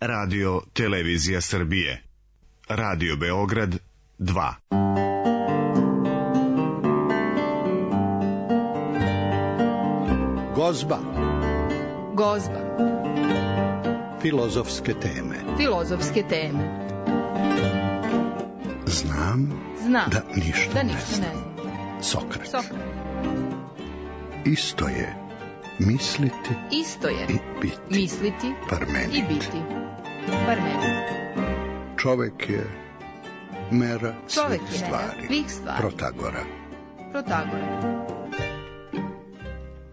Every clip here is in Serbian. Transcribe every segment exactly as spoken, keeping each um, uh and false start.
Radio Televizija Srbije. Radio Beograd dva. Gozba. Gozba. Filozofske teme. Filozofske teme. Znam, Znam da ništa, da ne, ništa znam. ne znam. Sokrat. Sokrat. Isto je misliti Isto je i biti. misliti Parmenid. i biti. Parmenid. Čovek je mera Čovek svih je stvari. mera svih stvari. Protagora. Protagora.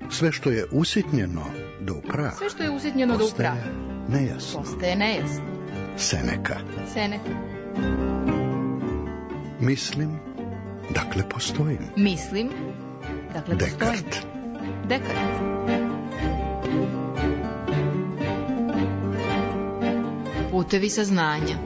Sve što je usitnjeno do upraha, Sve što je usitnjeno do upraha nejasno. postaje nejasno. Seneka. Seneka. Mislim, dakle postojim. Mislim, dakle postojim. Dekart. Dekart. Putevi saznanja.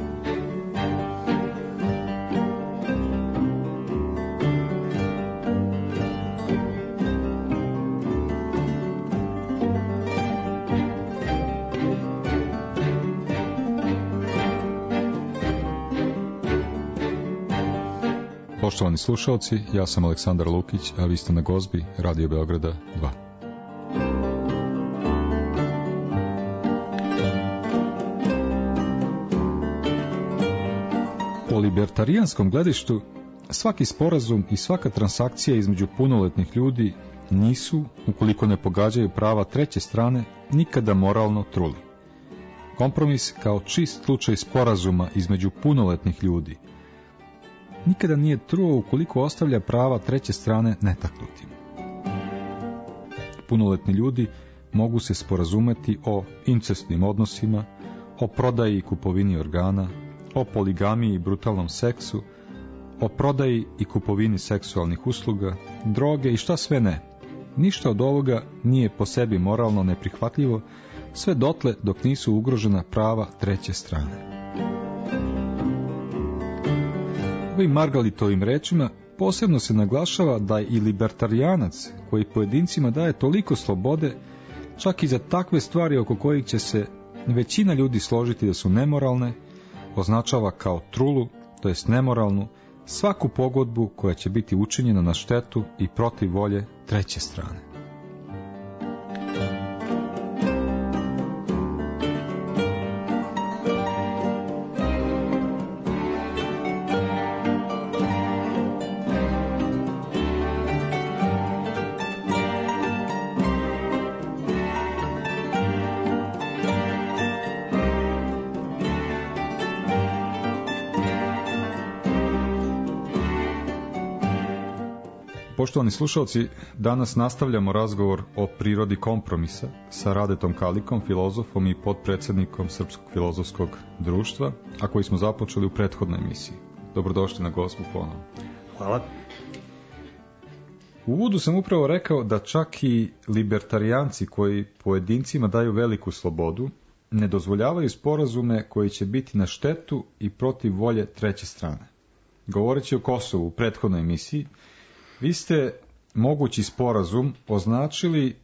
Poštovani slušalci, ja sam Aleksandar Lukić, a vi ste na Gozbi Radio Beograda dva. Po libertarijanskom gledištu, svaki sporazum i svaka transakcija između punoletnih ljudi nisu, ukoliko ne pogađaju prava treće strane, nikada moralno truli. Kompromis kao čist slučaj sporazuma između punoletnih ljudi nikada nije truo ukoliko ostavlja prava treće strane netaknutim. Punoletni ljudi mogu se sporazumeti o incestnim odnosima, o prodaji i kupovini organa, o poligamiji i brutalnom seksu, o prodaji i kupovini seksualnih usluga, droge i šta sve ne. Ništa od ovoga nije po sebi moralno neprihvatljivo, sve dotle dok nisu ugrožena prava treće strane. Ovim Margalitovim rečima posebno se naglašava da i libertarijanac koji pojedincima daje toliko slobode, čak i za takve stvari oko kojih će se većina ljudi složiti da su nemoralne, označava kao trulu, to jest nemoralnu, svaku pogodbu koja će biti učinjena na štetu i protiv volje treće strane. Poštovani slušalci, danas nastavljamo razgovor o prirodi kompromisa sa Radetom Kalikom, filozofom i potpredsjednikom Srpskog filozofskog društva, a koji smo započeli u prethodnoj emisiji. Dobrodošli na Gozbu ponovno. Hvala. U uvodu sam upravo rekao da čak i libertarijanci koji pojedincima daju veliku slobodu ne dozvoljavaju sporazume koji će biti na štetu i protiv volje treće strane. Govoreći o Kosovu u prethodnoj emisiji, vi ste mogući sporazum označili e,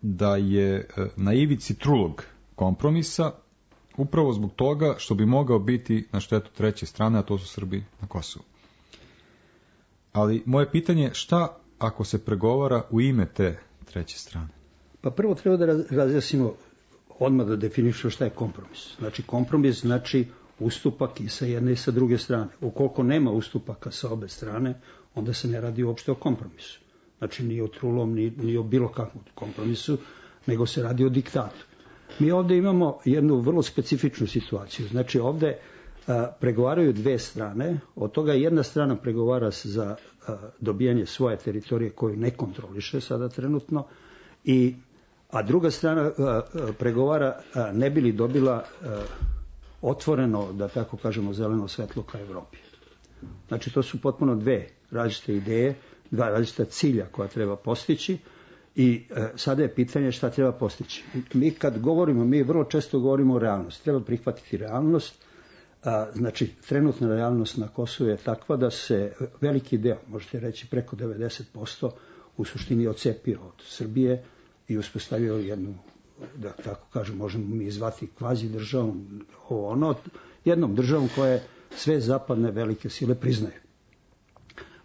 da je e, na ivici trulog kompromisa upravo zbog toga što bi mogao biti na štetu treće strane, a to su Srbi na Kosovu. Ali moje pitanje je šta ako se pregovara u ime te treće strane? Pa prvo treba da razjasnimo, odmah da definišemo šta je kompromis. Znači kompromis znači ustupak i sa jedne i sa druge strane. Ukoliko nema ustupaka sa obe strane, onda se ne radi uopšte o kompromisu. Znači ni o trulom, ni, ni o bilo kakvom kompromisu, nego se radi o diktatu. Mi ovde imamo jednu vrlo specifičnu situaciju. Znači ovde a, pregovaraju dve strane, od toga jedna strana pregovara za a, dobijanje svoje teritorije koju ne kontroliše sada trenutno, i, a druga strana a, a, pregovara a, ne bi li dobila a, otvoreno, da tako kažemo, zeleno svetlo ka Evropi. Znači to su potpuno dve različite ideje, dva različita cilja koja treba postići i e, sada je pitanje šta treba postići. Mi kad govorimo, mi vrlo često govorimo o realnosti. Treba prihvatiti realnost. A, znači trenutna realnost na Kosovu je takva da se veliki deo, možete reći preko devedeset posto, u suštini odcepio od Srbije i uspostavio jednu da tako kažem, možemo mi zvati kvazi državom, ovo ono, jednom državom koje sve zapadne velike sile priznaju.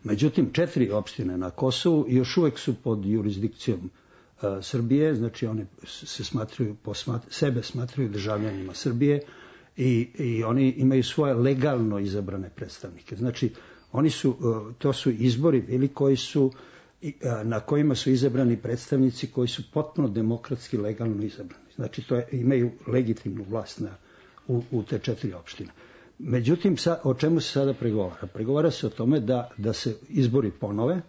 Međutim, četiri opštine na Kosovu još uvek su pod jurisdikcijom uh, Srbije, znači one se smatruju, posmat, sebe smatruju državljanima Srbije i, i oni imaju svoje legalno izabrane predstavnike. Znači, oni su, uh, to su izbori bili koji su, uh, na kojima su izabrani predstavnici koji su potpuno demokratski legalno izabrani. Znači, to je, imaju legitimnu vlast na, u, u te četiri opštine. Međutim, sa, o čemu se sada pregovara? Pregovara se o tome da, da se izbori ponove,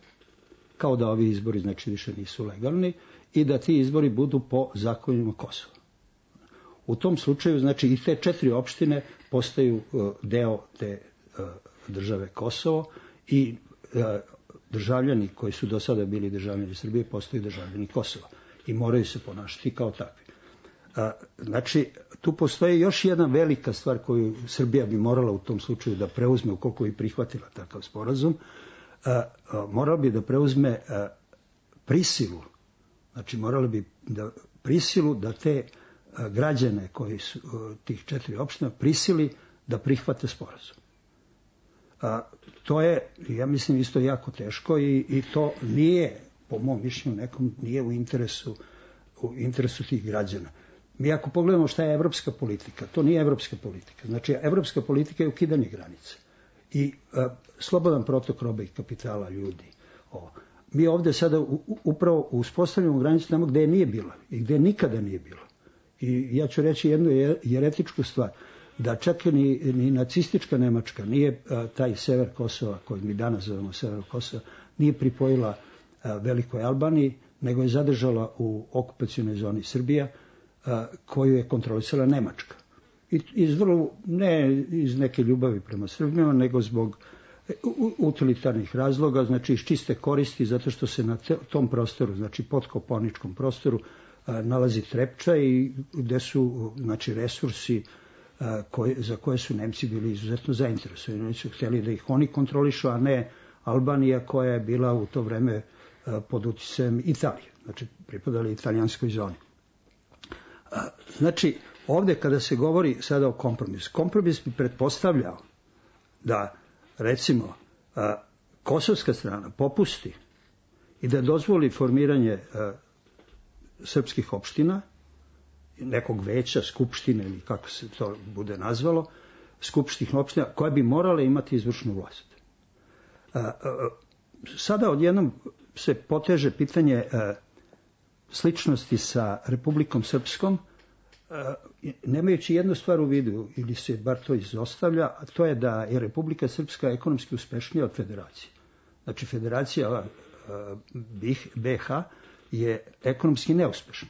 kao da ovi izbori znači više nisu legalni, i da ti izbori budu po zakonima Kosova. U tom slučaju, znači, i te četiri opštine postaju uh, deo te uh, države Kosovo i uh, državljani koji su do sada bili državljani Srbije postaju državljani Kosova i moraju se ponašati kao takvi. Znači, tu postoji još jedna velika stvar koju Srbija bi morala u tom slučaju da preuzme, ukoliko bi prihvatila takav sporazum, morala bi da preuzme prisilu, znači morala bi da prisilu da te građane koji su tih četiri opština prisili da prihvate sporazum. To je, ja mislim, isto jako teško i, i to nije, po mom mišljenju nekom, nije u interesu, u interesu tih građana. Mi ako pogledamo šta je evropska politika, to nije evropska politika. Znači, evropska politika je ukidanje granice i a, slobodan protok robe i kapitala ljudi. O, mi ovde sada u, upravo uspostavljamo granicu tamo gde je nije bila i gde nikada nije bilo. I ja ću reći jednu jeretičku stvar, da čak ni, ni nacistička Nemačka nije a, taj sever Kosova, koji mi danas zovemo sever Kosova, nije pripojila a, Velikoj Albaniji, nego je zadržala u okupacionoj zoni Srbija, koju je kontrolisala Nemačka. I iz vrlo, ne iz neke ljubavi prema Srbima, nego zbog utilitarnih razloga, znači iz čiste koristi, zato što se na te, tom prostoru, znači pod Kopaoničkom prostoru, a, nalazi Trepča i gde su, znači, resursi a, koje, za koje su Nemci bili izuzetno zainteresovani. Oni su htjeli da ih oni kontrolišu, a ne Albanija, koja je bila u to vreme a, pod uticajem Italije, znači pripadali italijanskoj zoni. Znači, ovde kada se govori sada o kompromisu, kompromis bi pretpostavljao da, recimo, kosovska strana popusti i da dozvoli formiranje srpskih opština, nekog veća, skupštine ili kako se to bude nazvalo, skupštih opština koje bi morale imati izvršnu vlast. Sada odjednom se poteže pitanje sličnosti sa Republikom Srpskom, nemajući jednu stvar u vidu, ili se bar to izostavlja, a to je da je Republika Srpska ekonomski uspešnija od federacije. Znači, federacija B H je ekonomski neuspešna.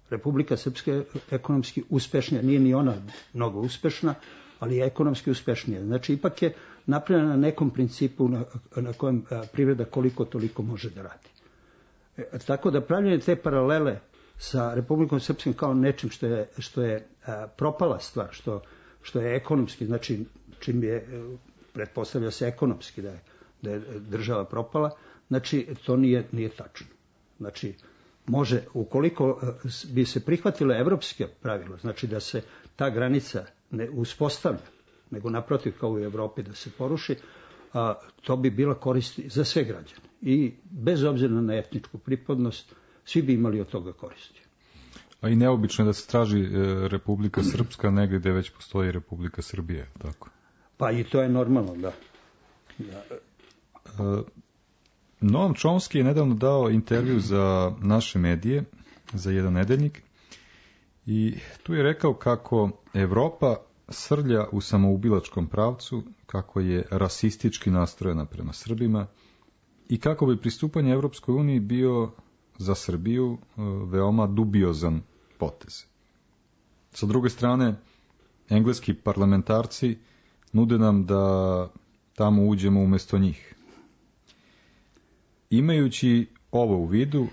Republika Srpska je ekonomski uspešnija, nije ni ona mnogo uspešna, ali je ekonomski uspešnija. Znači, ipak je napravljena na nekom principu na, na kojem privreda koliko toliko može da radi. E, tako da pravljanje te paralele sa Republikom Srpskom kao nečim što je, što je a, propala stvar, što, što je ekonomski, znači čim je, pretpostavlja se ekonomski da je, da je država propala, znači to nije, nije tačno. Znači, može, ukoliko bi se prihvatile evropske pravila, znači da se ta granica ne uspostavlja, nego naprotiv kao u Evropi da se poruši, a, to bi bila korist za sve građane. I bez obzira na etničku pripadnost, svi bi imali od toga koristi. A i neobično je da se traži e, Republika Srpska negdje gde već postoji Republika Srbije, tako? Pa i to je normalno, da. da. E, Noam Chomsky je nedavno dao intervju za naše medije, za jedan nedeljnik, i tu je rekao kako Evropa srlja u samoubilačkom pravcu, kako je rasistički nastrojena prema Srbima i kako bi pristupanje Evropskoj uniji bio za Srbiju veoma dubiozan potez. Sa druge strane, engleski parlamentarci nude nam da tamo uđemo umjesto njih. Imajući ovo u vidu,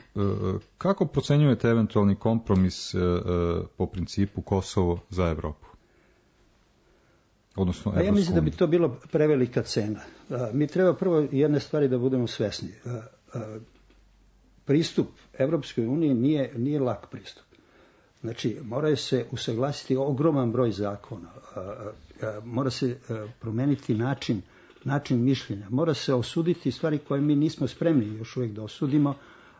kako procenjujete eventualni kompromis po principu Kosovo za Evropu? Odnosno, ja mislim da bi to bilo prevelika cena. Mi treba prvo jedne stvari da budemo svesni. Pristup Evropskoj uniji nije, nije lak pristup. Znači, moraju se usaglasiti ogroman broj zakona, mora se promeniti način, način mišljenja, mora se osuditi stvari koje mi nismo spremni još uvijek da osudimo,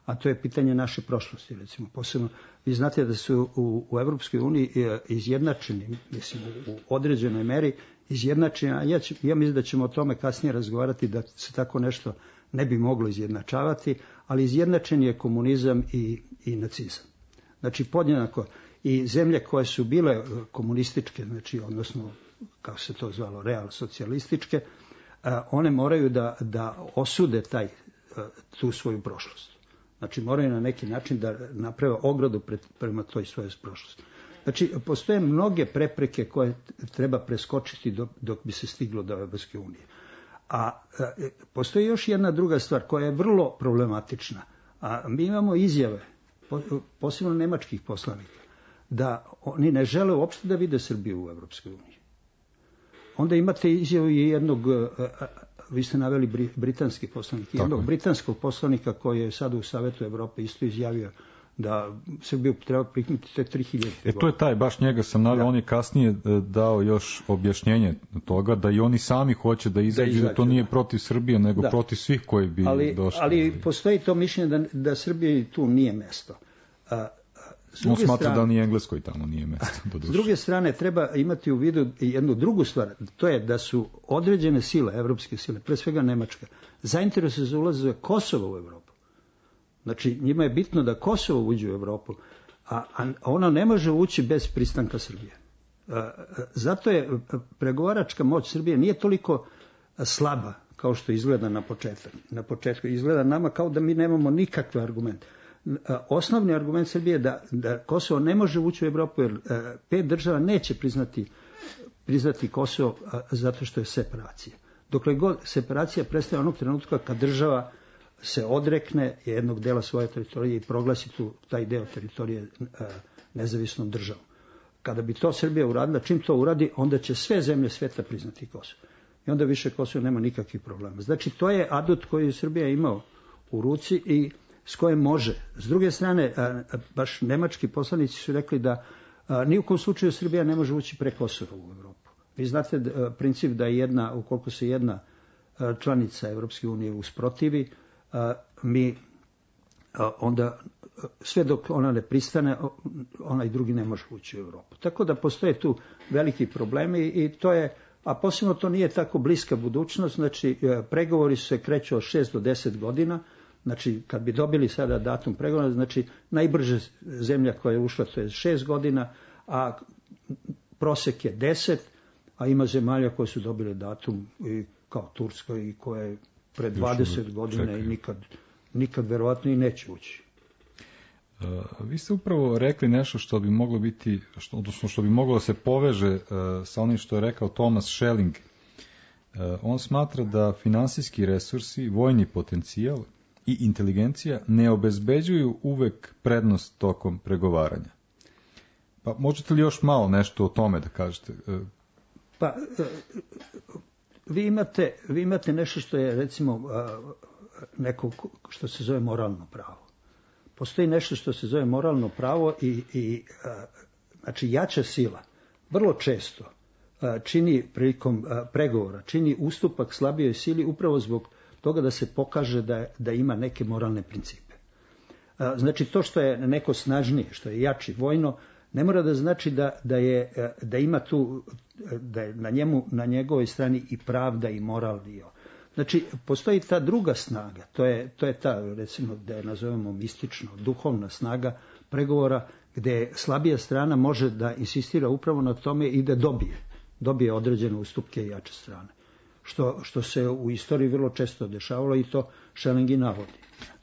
a to je pitanje naše prošlosti, recimo. Posebno, vi znate da su u, u Evropskoj uniji izjednačeni, mislim, u određenoj meri izjednačeni, a ja, ja mislim da ćemo o tome kasnije razgovarati, da se tako nešto ne bi moglo izjednačavati, ali izjednačen je komunizam i, i nacizam. Znači, podjednako i zemlje koje su bile komunističke, znači, odnosno, kako se to zvalo, real socijalističke, one moraju da, da osude taj, tu svoju prošlost. Znači, moraju na neki način da naprave ogradu pred, prema toj svojoj prošlosti. Znači, postoje mnoge prepreke koje treba preskočiti dok, dok bi se stiglo do Evropske unije. A postoji još jedna druga stvar koja je vrlo problematična. A mi imamo izjave, posebno nemačkih poslanika, da oni ne žele uopšte da vide Srbiju u Evropskoj uniji. Onda imate izjavu jednog, vi ste naveli britanski poslanik, jednog britanskog poslanika koji je sada u Savetu Evrope isto izjavio da Srbiju treba prihvatiti tek tri hiljade. E to je taj, baš njega sam naveo, on je kasnije dao još objašnjenje toga da i oni sami hoće da izađu, da, da to nije protiv Srbije, nego da. protiv svih koji bi ali, došli. Ali postoji to mišljenje da, da Srbiji tu nije mesto. A, on smatra strane, da ni Engleskoj tamo nije mesto. S druge strane, treba imati u vidu jednu drugu stvar, to je da su određene sile, evropske sile, pre svega Nemačka, zainteresuje za ulazak Kosova u Evropu. Znači, njima je bitno da Kosovo uđe u Evropu, a, a ona ne može ući bez pristanka Srbije. A, zato je pregovaračka moć Srbije nije toliko slaba kao što izgleda na početku. Na početku izgleda nama kao da mi nemamo nikakve argumente. Osnovni argument Srbije je da, da Kosovo ne može ući u Evropu jer pet država neće priznati, priznati Kosovo zato što je separacija. Dokle god separacija prestaje onog trenutka kad država se odrekne jednog dela svoje teritorije i proglasi tu, taj deo teritorije nezavisnom državom. Kada bi to Srbija uradila, čim to uradi, onda će sve zemlje sveta priznati Kosovo. I onda više Kosovo nema nikakvih problema. Znači, to je adut koji je Srbija imao u ruci i s kojim može. S druge strane, baš nemački poslanici su rekli da ni u kom slučaju Srbija ne može ući pre Kosova u Evropu. Vi znate princip da je jedna, ukoliko se jedna članica Evropske unije usprotivi, mi onda sve dok ona ne pristane, onaj drugi ne može ući u Evropu. Tako da postoje tu veliki problemi i to je, a posebno to nije tako bliska budućnost, znači pregovori se kreću od šest do deset godina. Znači, kad bi dobili sada datum pregovora, znači najbrže zemlja koja je ušla to je šest godina, a prosek je deset, a ima zemalja koje su dobile datum i kao Turska i koja je pre dvadeset godina čekaj. i nikad, nikad verovatno i neće ući. Uh, vi ste upravo rekli nešto što bi moglo biti, što, odnosno što bi moglo da se poveže uh, sa onim što je rekao Thomas Schelling. Uh, on smatra da finansijski resursi, vojni potencijal i inteligencija ne obezbeđuju uvek prednost tokom pregovaranja. Pa možete li još malo nešto o tome da kažete? Pa, vi imate, vi imate nešto što je, recimo, neko što se zove moralno pravo. Postoji nešto što se zove moralno pravo i, i znači, jača sila vrlo često čini prilikom pregovora, čini ustupak slabijoj sili upravo zbog toga da se pokaže da, da ima neke moralne principe. Znači, to što je neko snažnije, što je jači vojno, ne mora da znači da, da, je, da ima tu, da je na, njemu, na njegovoj strani i pravda i moral dio. Znači, postoji ta druga snaga, to je, to je ta, recimo, da je nazovemo mistično, duhovna snaga pregovora, gde slabija strana može da insistira upravo na tome i da dobije, dobije određene ustupke i jače strane. Što, što se u istoriji vrlo često dešavalo i to Schelling i navodi.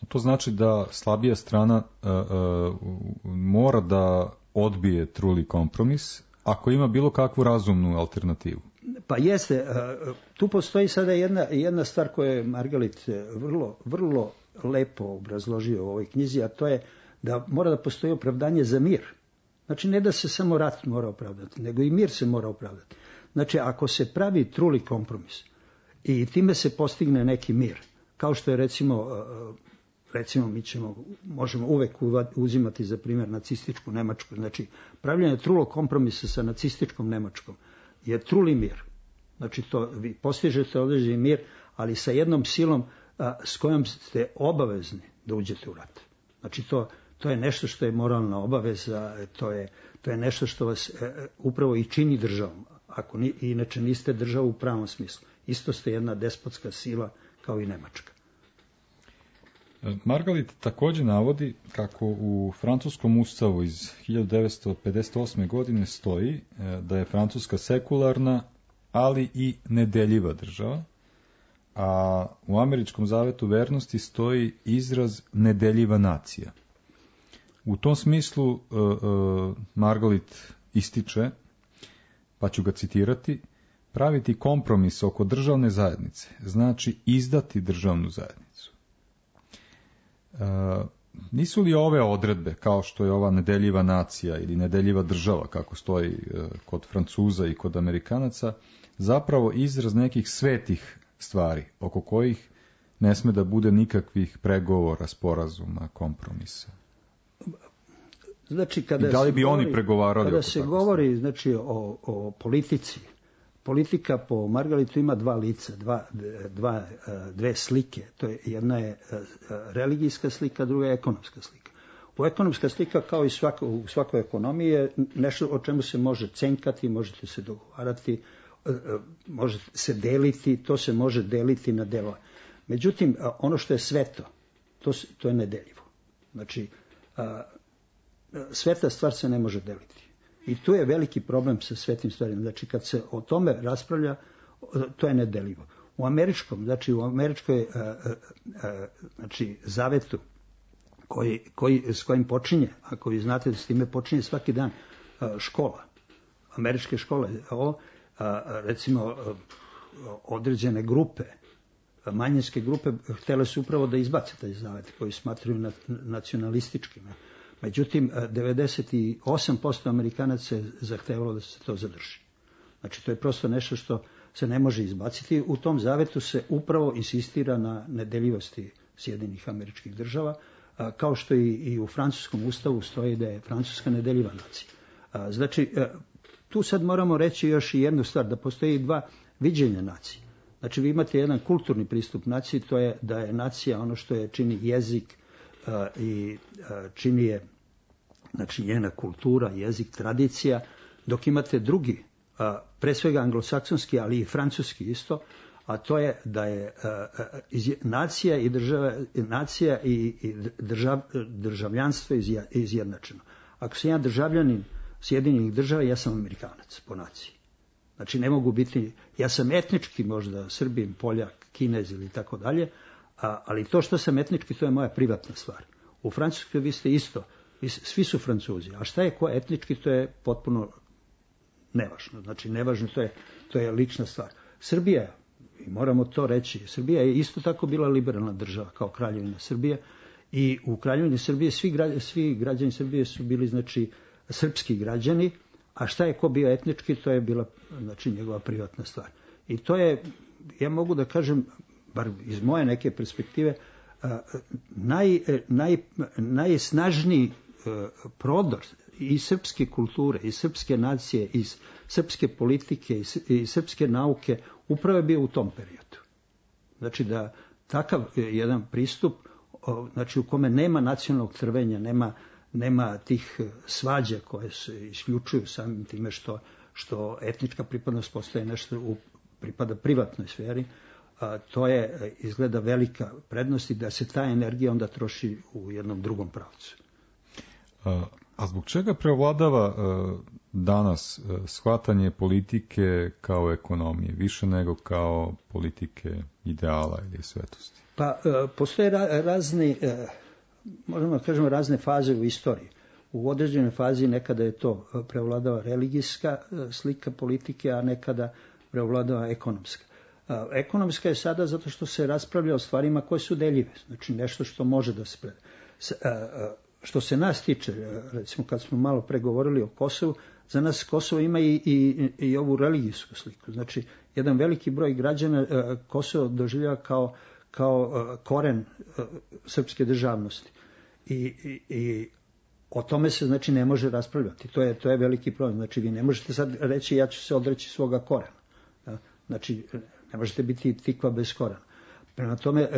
To znači da slabija strana uh, uh, mora da odbije truli kompromis ako ima bilo kakvu razumnu alternativu. Pa jeste, uh, tu postoji sada jedna, jedna stvar koju je Margalit vrlo, vrlo lepo obrazložio u ovoj knjizi, a to je da mora da postoji opravdanje za mir. Znači, ne da se samo rat mora opravdati, nego i mir se mora opravdati. Znači, ako se pravi truli kompromis i time se postigne neki mir, kao što je recimo recimo mi ćemo, možemo uvek uzimati za primjer nacističku Nemačku, znači pravljenje trulog kompromisa sa nacističkom Nemačkom je truli mir. Znači to vi postižete određeni mir, ali sa jednom silom a, s kojom ste obavezni da uđete u rat. Znači to, to je nešto što je moralna obaveza, to je, to je nešto što vas e, upravo i čini državom. Ako ni, inače niste država u pravom smislu. Isto ste jedna despotska sila kao i Nemačka. Margalit također navodi kako u francuskom ustavu iz hiljadu devetsto pedeset osme. godine stoji da je Francuska sekularna, ali i nedeljiva država, a u američkom zavetu vernosti stoji izraz nedeljiva nacija. U tom smislu uh, uh, Margalit ističe, pa ću ga citirati, praviti kompromis oko državne zajednice znači izdati državnu zajednicu. Uh, nisu li ove odredbe, kao što je ova nedeljiva nacija ili nedeljiva država, kako stoji uh, kod Francuza i kod Amerikanaca, zapravo izraz nekih svetih stvari, oko kojih ne sme da bude nikakvih pregovora, sporazuma, kompromisa? Znači, kada I da li bi govori, oni pregovarali? Kada se govori stvari? Znači, o, o politici, politika po Margalitu ima dva lica, dva, dva, dve slike. To je, jedna je religijska slika, druga je ekonomska slika. U ekonomska slika, kao i svako, u svakoj ekonomiji, je nešto o čemu se može cenkati, možete se dogovarati, može se deliti, to se može deliti na delove. Međutim, ono što je sveto, to, to je nedeljivo. Znači, sveta stvar se ne može deliti. I tu je veliki problem sa svetim stvarima. Znači, kad se o tome raspravlja, to je nedeljivo. U američkom, znači u američkoj znači, zavetu, koji, koji, s kojim počinje, ako vi znate da s time počinje svaki dan škola, američke škole, ovo, recimo određene grupe, manjinske grupe, htjele su upravo da izbace taj zavet koji smatraju nacionalističkim. Međutim, devedeset osam posto Amerikanaca je zahtevalo da se to zadrži. Znači, to je prosto nešto što se ne može izbaciti. U tom zavetu se upravo insistira na nedeljivosti Sjedinjenih Američkih Država, kao što i, i u francuskom ustavu stoji da je Francuska nedeljiva nacija. Znači, tu sad moramo reći još i jednu stvar, da postoji dva viđenja nacije. Znači, vi imate jedan kulturni pristup naciji, to je da je nacija ono što je čini jezik uh, i uh, čini je, znači, njena kultura, jezik, tradicija, dok imate drugi, uh, pre svega anglosaksonski, ali i francuski isto, a to je da je uh, iz, nacija i država, nacija i, i držav, državljanstvo izja, izjednačeno. Ako sam ja državljanin Sjedinjenih Država, ja sam Amerikanac po naciji. Znači, ne mogu biti, ja sam etnički možda Srbin, Poljak, Kinez ili tako dalje, ali to što sam etnički, to je moja privatna stvar. U Francuskoj vi ste isto, vi, svi su Francuzi, a šta je ko etnički, to je potpuno nevažno. Znači, nevažno, to je, to je lična stvar. Srbija, i moramo to reći, Srbija je isto tako bila liberalna država kao Kraljevina Srbije i u Kraljevini Srbije svi, gra, svi građani Srbije su bili, znači, srpski građani, a šta je ko bio etnički, to je bila, znači, njegova privatna stvar. I to je, ja mogu da kažem, bar iz moje neke perspektive, naj, naj, najsnažniji prodor i srpske kulture, i srpske nacije, i srpske politike, i srpske nauke, upravo je bio u tom periodu. Znači da takav jedan pristup, znači u kome nema nacionalnog trvenja, nema nema tih svađa koje se isključuju samim time što, što etnička pripadnost postaje nešto u, pripada privatnoj sferi, a, to je izgleda velika prednost i da se ta energija onda troši u jednom drugom pravcu. A, a zbog čega preovladava a, danas a, shvatanje politike kao ekonomije, više nego kao politike ideala ili svetosti? Pa a, postoje ra, razni... A, možemo da kažemo razne faze u istoriji. U određenoj fazi nekada je to prevladava religijska slika politike, a nekada prevladava ekonomska. Ekonomska je sada zato što se raspravlja o stvarima koje su deljive, znači nešto što može da se preda. Što se nas tiče, recimo kad smo malo pregovorili o Kosovu, za nas Kosovo ima i, i, i ovu religijsku sliku. Znači, jedan veliki broj građana Kosovo doživljava kao kao koren srpske državnosti. I, i, i o tome se znači ne može raspravljati. To je, to je veliki problem. Znači vi ne možete sad reći ja ću se odreći svoga korena. Znači ne možete biti tikva bez korena. Prema tome,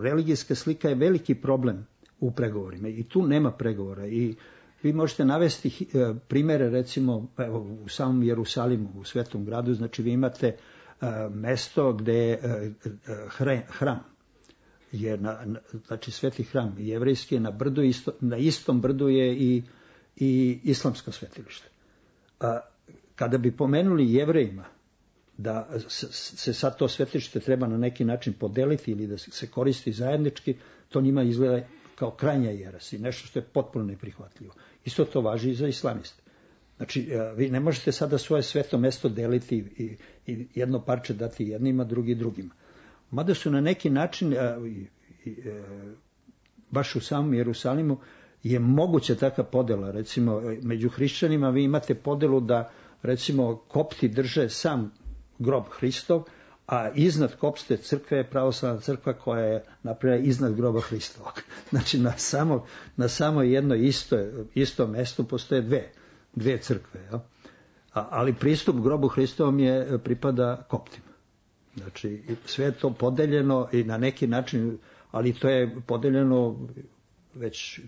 religijska slika je veliki problem u pregovorima i tu nema pregovora. I vi možete navesti primere, recimo evo, u samom Jerusalimu, u Svetom gradu, znači vi imate mesto gde je hram, je na, znači sveti hram jevrejski je na brdu, isto, na istom brdu je i, i islamsko svetilište. A, kada bi pomenuli Jevrejima da se sad to svetilište treba na neki način podeliti ili da se koristi zajednički, to njima izgleda kao krajnja jeres i nešto što je potpuno neprihvatljivo. Isto to važi i za islamiste. Znači, vi ne možete sada svoje sveto mesto deliti i, i jedno parče dati jednima, drugi drugima. Mada su na neki način, i, i, baš u samom Jerusalimu, je moguća takva podela. Recimo, među hrišćanima vi imate podelu da, recimo, kopti drže sam grob Hristov, a iznad kopste crkve je pravoslavna crkva koja je napravljena iznad groba Hristovog. Znači, na samo, na samo jedno isto, isto mesto postoje dve, dve crkve. Ja? A, ali pristup grobu Hristovom je pripada koptima. Znači, sve je to podeljeno i na neki način, ali to je podeljeno već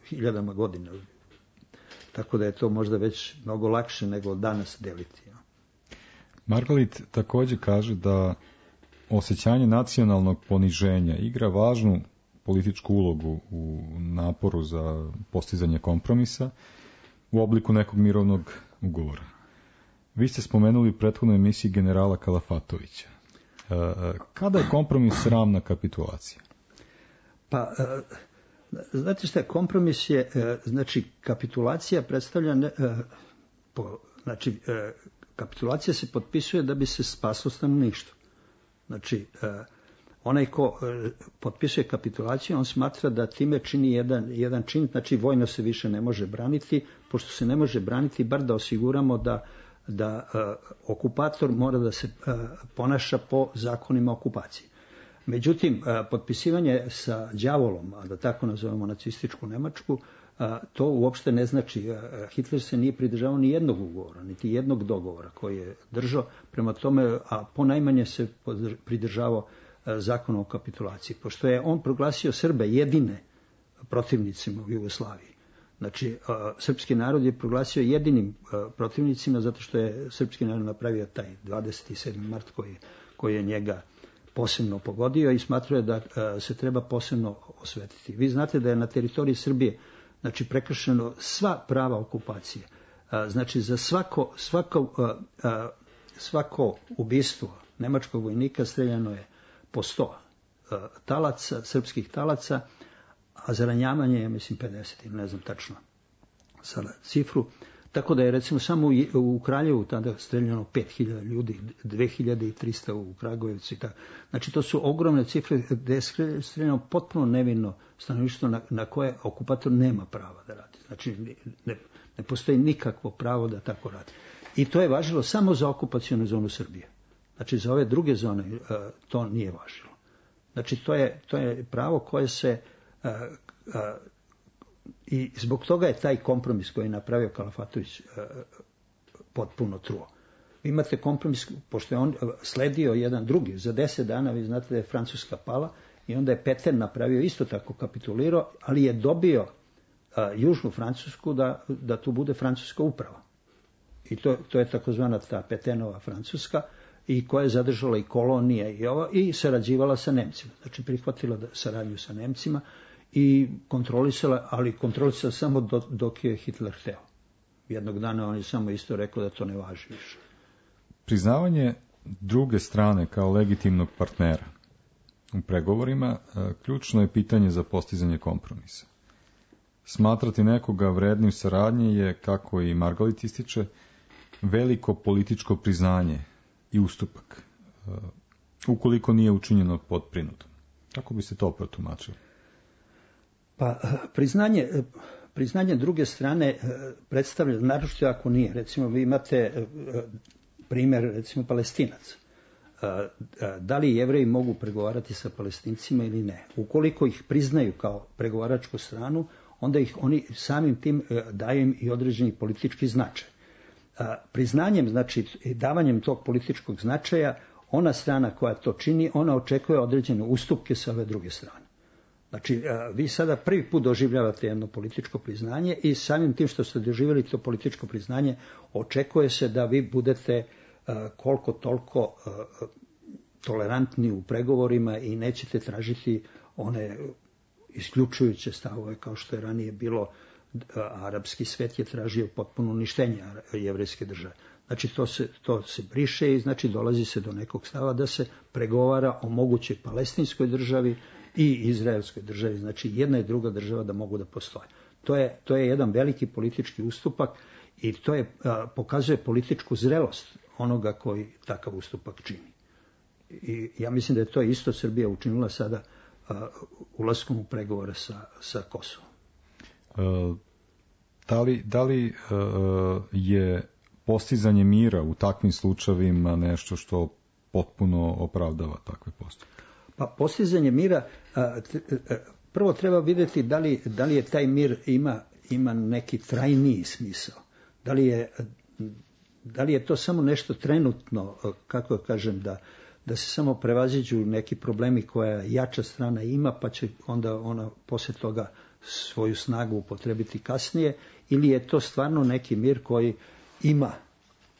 hiljadama godina. Tako da je to možda već mnogo lakše nego danas deliti. Ja? Margalit također kaže da osjećanje nacionalnog poniženja igra važnu političku ulogu u naporu za postizanje kompromisa u obliku nekog mirovnog ugovora. Vi ste spomenuli u prethodnoj emisiji generala Kalafatovića. Kada je kompromis sramna kapitulacija? Pa, znate šta, kompromis je, znači, kapitulacija predstavlja, po, znači, kapitulacija se potpisuje da bi se spaslo stanovništvo. Znači, onaj ko potpisuje kapitulaciju, on smatra da time čini jedan, jedan čin, znači vojno se više ne može braniti, pošto se ne može braniti, bar da osiguramo da da uh, okupator mora da se uh, ponaša po zakonima okupacije. Međutim, uh, potpisivanje sa đavolom, a da tako nazovemo nacističku Nemačku, uh, to uopšte ne znači. Uh, Hitler se nije pridržavao ni jednog ugovora, niti jednog dogovora koji je držao, prema tome, a ponajmanje se pridržavao uh, zakona o kapitulaciji, pošto je on proglasio Srbe jedine protivnicima u Jugoslaviji. Znači, uh, srpski narod je proglasio jedinim uh, protivnicima zato što je srpski narod napravio taj dvadeset sedmi mart koji, koji je njega posebno pogodio i smatrao je da uh, se treba posebno osvetiti. Vi znate da je na teritoriji Srbije znači, prekršeno sva prava okupacije. Uh, znači, za svako, svako, uh, uh, svako ubistvo nemačkog vojnika streljano je po sto uh, talaca, srpskih talaca, a za ranjavanje je, mislim, pedeset, ne znam tačno sada cifru. Tako da je, recimo, samo u, u Kraljevu tada streljano pet hiljada ljudi, dve hiljade trista u Kragujevcu. Znači, to su ogromne cifre gde je streljano potpuno nevino stanovništvo na, na koje okupator nema prava da radi. Znači, ne, ne postoji nikakvo pravo da tako radi. I to je važilo samo za okupacionu zonu Srbije. Znači, za ove druge zone uh, to nije važilo. Znači, to je, to je pravo koje se Uh, uh, i zbog toga je taj kompromis koji je napravio Kalafatović uh, potpuno truo. Vi imate kompromis, pošto je on sledio jedan drugi, za deset dana vi znate da je Francuska pala i onda je Peter napravio isto tako kapitulirao, ali je dobio uh, južnu Francusku da, da tu bude francuska uprava. I to, to je takozvana ta Petenova Francuska i koja je zadržala i kolonije i ovo i sarađivala sa Nemcima. Znači prihvatila da saradnju sa Nemcima i kontrolisala, ali kontrolisala samo do, dok je Hitler hteo. Jednog dana on je samo isto rekao da to ne važi više. Priznavanje druge strane kao legitimnog partnera u pregovorima ključno je pitanje za postizanje kompromisa. Smatrati nekoga vrednim saradnje je, kako i Margalit ističe, veliko političko priznanje i ustupak, ukoliko nije učinjeno pod prinutom. Kako bi se to protumačilo? Pa, priznanje, priznanje druge strane predstavlja, naročito ako nije. Recimo, vi imate primjer, recimo, Palestinac. da li Jevreji mogu pregovarati sa Palestincima ili ne. Ukoliko ih priznaju kao pregovaračku stranu, onda ih oni samim tim daju im i određeni politički značaj. Priznanjem, znači davanjem tog političkog značaja, ona strana koja to čini, ona očekuje određene ustupke sa ove druge strane. Znači, vi sada prvi put doživljavate jedno političko priznanje i samim tim što ste doživjeli to političko priznanje, očekuje se da vi budete koliko toliko tolerantni u pregovorima i nećete tražiti one isključujuće stavove kao što je ranije bilo. Arapski svet je tražio potpuno uništenje jevrejske države. Znači to se, to se briše i znači dolazi se do nekog stava da se pregovara o mogućoj palestinskoj državi i izraelskoj državi. Znači jedna i druga država da mogu da postoje. To je, to je jedan veliki politički ustupak i to je, a, pokazuje političku zrelost onoga koji takav ustupak čini. I ja mislim da je to isto Srbija učinila sada a, ulaskom u pregovore sa, sa Kosovom. Uh, da li, da li uh, je postizanje mira u takvim slučajevima nešto što potpuno opravdava takve postupke? Pa postizanje mira, uh, t, uh, prvo treba vidjeti da li, da li je taj mir ima, ima neki trajniji smisao. Da li je, da li je to samo nešto trenutno, uh, kako kažem, da, da se samo prevaziđu neki problemi koja jača strana ima, pa će onda ona poslije toga svoju snagu upotrebiti kasnije, ili je to stvarno neki mir koji ima,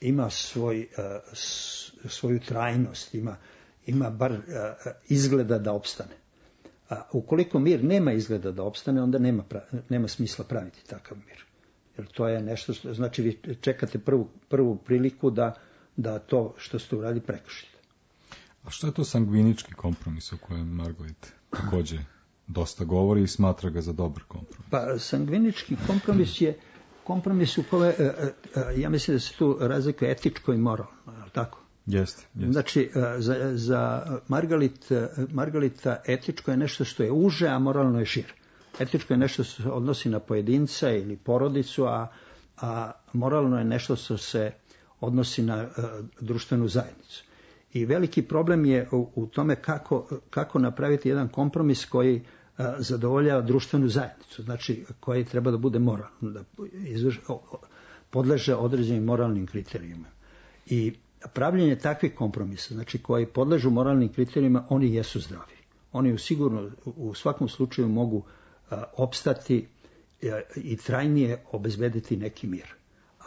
ima svoj, uh, svoju trajnost, ima, ima bar uh, izgleda da opstane. A ukoliko mir nema izgleda da opstane, onda nema, pra, nema smisla praviti takav mir. Jer to je nešto, što, znači vi čekate prvu, prvu priliku da, da to što ste uradili prekršite. A što je to sangvinički kompromis o kojem Margalit također dosta govori i smatra ga za dobar kompromis? Pa sangvinički kompromis je kompromis u kome, ja mislim da se tu razlikuje etičko i moralno, je li tako? Jeste, jeste. Znači, za, za Margalit, Margalita etičko je nešto što je uže, a moralno je šire. Etičko je nešto što se odnosi na pojedinca ili porodicu, a, a moralno je nešto što se odnosi na uh, društvenu zajednicu. I veliki problem je u, u tome kako, kako napraviti jedan kompromis koji uh, zadovoljava društvenu zajednicu, znači koji treba da bude moralan, da izvrš, podleže određenim moralnim kriterijima. I pravljenje takvih kompromisa, znači koji podležu moralnim kriterijima, oni jesu zdravi. Oni u sigurno u svakom slučaju mogu a, opstati a, i trajnije obezbediti neki mir.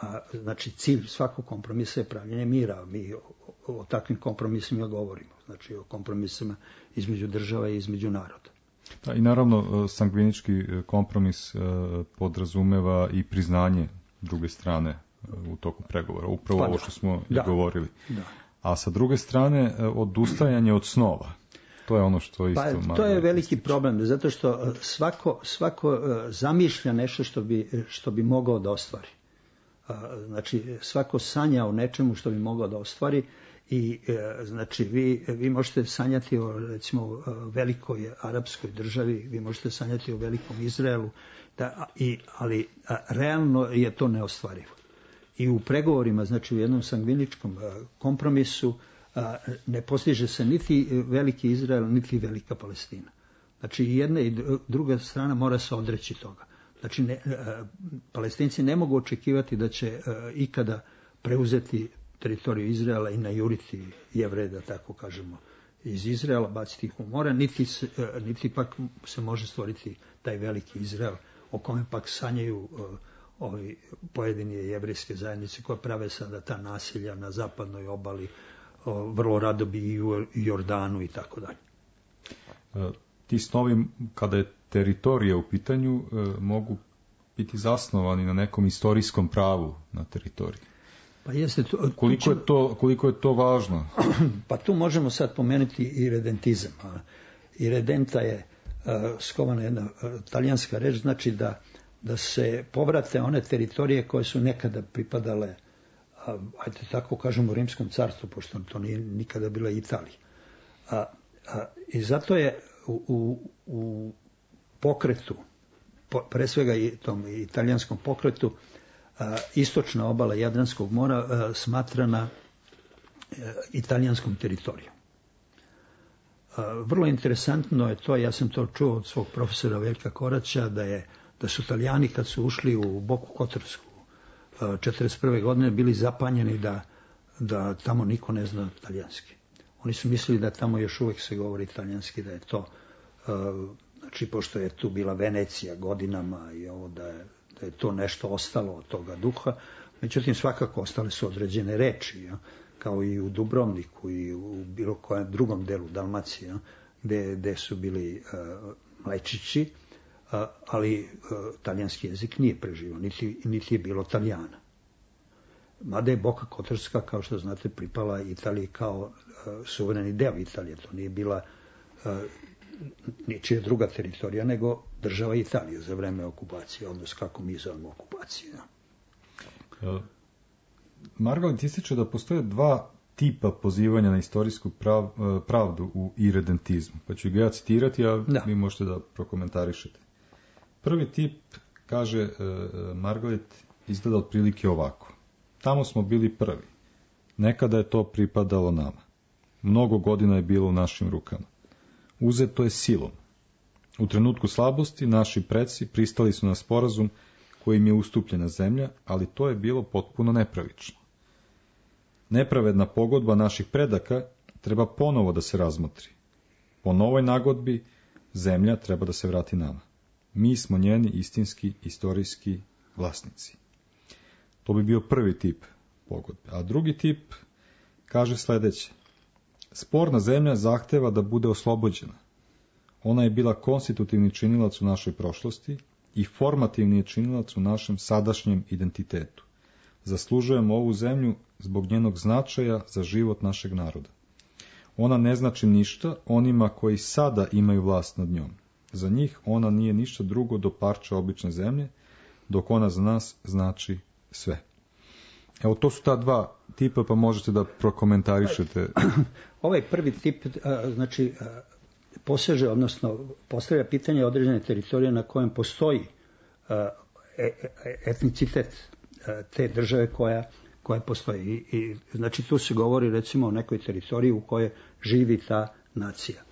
A, znači cilj svakog kompromisa je pravljenje mira. Mi o, o takvim kompromisima govorimo. Znači o kompromisima između država i između naroda. Da, i naravno sangvinički kompromis podrazumeva i priznanje druge strane u toku pregovora. Upravo pa, ovo što smo da, govorili. Da. A sa druge strane, odustajanje od snova. To je ono što isto... Pa, to je veliki problem, zato što svako, svako zamišlja nešto što bi, što bi mogao da ostvari. Znači, svako sanja o nečemu što bi mogao da ostvari i znači vi, vi možete sanjati o recimo velikoj arapskoj državi, vi možete sanjati o velikom Izraelu, da, i, ali a, realno je to neostvarivo. I u pregovorima, znači u jednom sangviničkom kompromisu, ne postiže se niti veliki Izrael, niti velika Palestina. Znači i jedna i druga strana mora se odreći toga. Znači ne, Palestinci ne mogu očekivati da će ikada preuzeti teritoriju Izraela i najuriti Jevreje, da tako kažemo, iz Izraela, baciti ih u more, niti, niti pak se može stvoriti taj veliki Izrael o kome pak sanjaju ovi pojedini jevrejske zajednice koje prave sada ta nasilja na zapadnoj obali, vrlo rado bi i u Jordanu i tako dalje. Ti snovi, kada je teritorija u pitanju, mogu biti zasnovani na nekom istorijskom pravu na teritoriji. Pa jeste to, koliko, je to, koliko je to važno? Pa tu možemo sad pomenuti i redentizam. I redenta je skovana jedna talijanska reč, znači da da se povrate one teritorije koje su nekada pripadale, ajde tako kažemo, Rimskom carstvu, pošto to nije nikada bila Italija. A, a, I zato je u, u, u pokretu, po, pre svega i tom italijanskom pokretu, a, istočna obala Jadranskog mora a, smatrana italijanskom teritorijom. Vrlo interesantno je to, ja sam to čuo od svog profesora Veljka Koraća, da, je, da su Italijani kad su ušli u Boku Kotorsku četrdeset prve godine bili zapanjeni da, da tamo niko ne zna talijanski. Oni su mislili da tamo još uvijek se govori italijanski, da je to, znači pošto je tu bila Venecija godinama i ovo da je, da je to nešto ostalo od toga duha, međutim svakako ostale su određene reči, ja, kao i u Dubrovniku i u bilo kojem drugom delu Dalmacije, ja, gde, gde su bili uh, mlečići, uh, ali uh, talijanski jezik nije preživio, niti, niti je bilo Talijana. Mada je Boka Kotorska, kao što znate, pripala Italiji kao uh, suvereni deo Italije. To nije bila uh, ničija druga teritorija, nego država Italije za vreme okupacije, odnosno kako mi zovemo okupaciju. Ja. Margalit ističe da postoje dva tipa pozivanja na istorijsku prav, pravdu u iredentizmu. Pa ću ga ja citirati, a da. Vi možete da prokomentarišete. Prvi tip, kaže Margalit, izgleda otprilike ovako. Tamo smo bili prvi. Nekada je to pripadalo nama. Mnogo godina je bilo u našim rukama. Uzeto je silom. U trenutku slabosti naši preci pristali su na sporazum kojim je ustupljena zemlja, ali to je bilo potpuno nepravično. Nepravedna pogodba naših predaka treba ponovo da se razmotri. Po novoj nagodbi zemlja treba da se vrati nama. Mi smo njeni istinski, istorijski vlasnici. To bi bio prvi tip pogodbe. A drugi tip kaže sledeće. Sporna zemlja zahteva da bude oslobođena. Ona je bila konstitutivni činilac u našoj prošlosti i formativni je činilac u našem sadašnjem identitetu. Zaslužujemo ovu zemlju zbog njenog značaja za život našeg naroda. Ona ne znači ništa onima koji sada imaju vlast nad njom. Za njih ona nije ništa drugo do parča obične zemlje, dok ona za nas znači sve. Evo, to su ta dva tipa, pa možete da prokomentarišete. Ovaj prvi tip, znači, poseže, odnosno postavlja pitanje određene teritorije na kojem postoji etnicitet te države koja, koja postoji. I, i, znači, tu se govori recimo o nekoj teritoriji u kojoj živi ta nacija,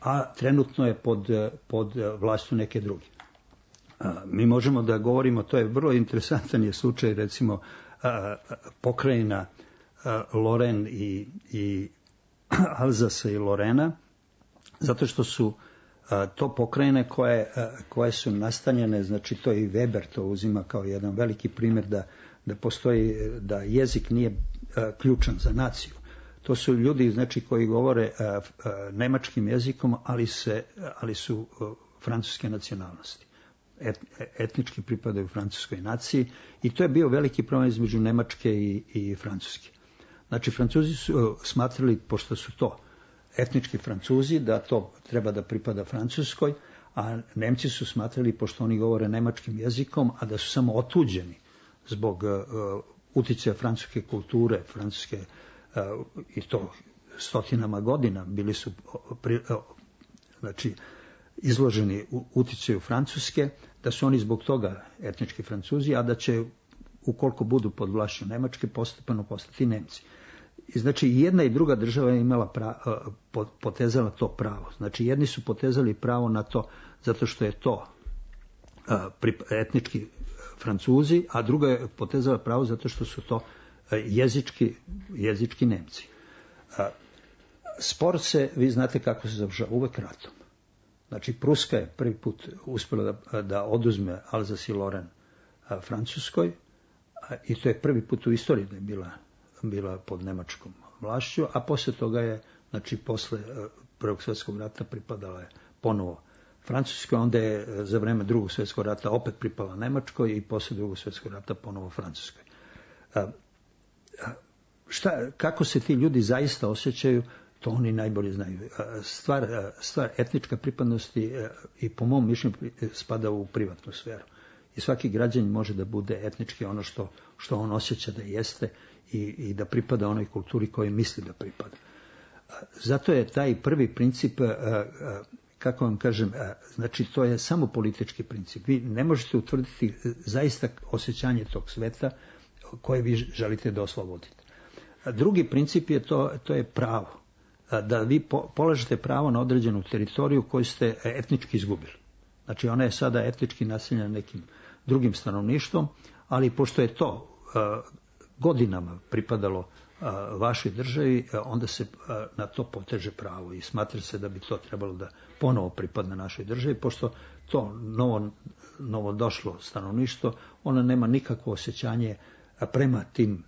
a trenutno je pod, pod vlašću neke druge. Mi možemo da govorimo, to je vrlo interesantan je slučaj, recimo, pokrajina Loren i, i Alzasa i Lorena, zato što su to pokrajine koje, koje su nastanjene, znači to i Weber to uzima kao jedan veliki primjer da, da postoji, da jezik nije ključan za naciju. To su ljudi, znači, koji govore nemačkim jezikom, ali, se, ali su francuske nacionalnosti. Et, etnički pripadaju francuskoj naciji i to je bio veliki problem između Nemačke i, i Francuske. Znači, Francuzi su smatrali, pošto su to etnički Francuzi, da to treba da pripada Francuskoj, a Nemci su smatrali, pošto oni govore nemačkim jezikom, a da su samo otuđeni zbog uh, uticaja francuske kulture, francuske, uh, i to stotinama godina, bili su pri, uh, znači, izloženi uticaju Francuske, da su oni zbog toga etnički Francuzi, a da će, ukoliko budu pod vlašću Nemačke, postepeno postati Nemci. I znači, i jedna i druga država je imala pravo, potezala to pravo. Znači, jedni su potezali pravo na to zato što je to etnički Francuzi, a druga je potezala pravo zato što su to jezički, jezički Nemci. Spor se, vi znate kako se završava, uvek ratom. Znači, Pruska je prvi put uspjela da, da oduzme Alzas i Loren Francuskoj, i to je prvi put u istoriji da je bila, bila pod nemačkom vlašću, a posle toga je, znači, posle Prvog svjetskog rata pripadala je ponovo Francuskoj, onda je za vreme Drugog svjetskog rata opet pripala Nemačkoj i posle Drugog svjetskog rata ponovo Francuskoj. Šta, kako se ti ljudi zaista osjećaju, to oni najbolje znaju. Stvar, stvar etnička pripadnosti i po mom mišljenju spada u privatnu sferu. I svaki građanin može da bude etnički ono što, što on osjeća da jeste i, i da pripada onoj kulturi kojoj misli da pripada. Zato je taj prvi princip, kako vam kažem, znači to je samo politički princip. Vi ne možete utvrditi zaista osjećanje tog sveta koje vi želite da oslobodite. Drugi princip je to, to je pravo. Da vi po, polažete pravo na određenu teritoriju koju ste etnički izgubili. Znači ona je sada etnički naseljena nekim drugim stanovništvom, ali pošto je to godinama pripadalo vašoj državi, onda se na to poteže pravo i smatra se da bi to trebalo da ponovo pripadne našoj državi, pošto to novo, novo došlo stanovništvo, ona nema nikakvo osjećanje prema tim,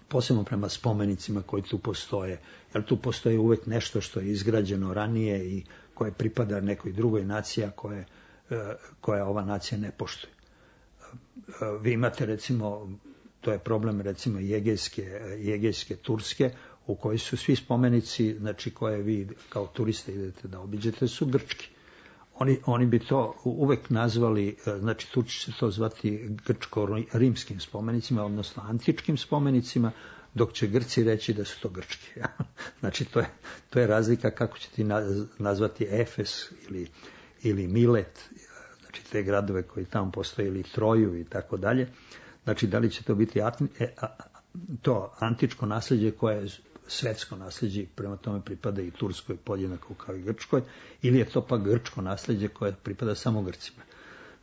posebno prema spomenicima koji tu postoje, jer tu postoji uvek nešto što je izgrađeno ranije i koje pripada nekoj drugoj naciji, koje, koja ova nacija ne poštuje. Vi imate recimo, to je problem recimo Jegejske, Jegejske Turske, u kojoj su svi spomenici, znači koje vi kao turiste idete da obiđete, su grčki. Oni, oni bi to uvek nazvali, znači Turci će to zvati grčko-rimskim spomenicima, odnosno antičkim spomenicima, dok će Grci reći da su to grčki. Znači to je, to je razlika kako će ti nazvati Efes ili, ili Milet, znači te gradove koji tamo postoje, ili Troju i tako dalje. Znači da li će to biti to antičko nasljeđe koje je svetsko nasljeđe, prema tome pripada i Turskoj podjednako kao i Grčkoj, ili je to pa grčko nasljeđe koje pripada samo Grcima.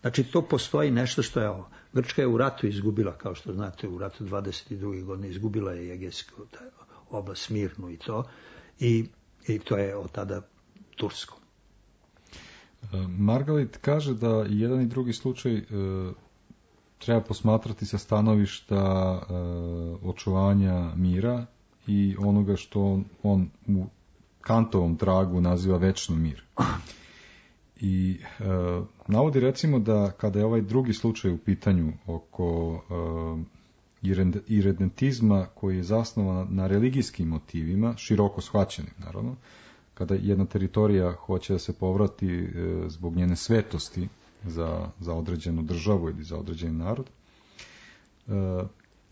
Znači to postoji nešto što je ovo. Grčka je u ratu izgubila, kao što znate, u ratu dvadeset druge godine izgubila je Egejsku oblast, Smirnu i to, i, i to je od tada tursko. Margalit kaže da jedan i drugi slučaj e, treba posmatrati sa stanovišta e, očuvanja mira i onoga što on, on u Kantovom tragu naziva večni mir. I e, navodi recimo da kada je ovaj drugi slučaj u pitanju oko e, iredentizma koji je zasnovan na religijskim motivima, široko shvaćenim naravno, kada jedna teritorija hoće da se povrati e, zbog njene svetosti za, za određenu državu ili za određeni narod, e,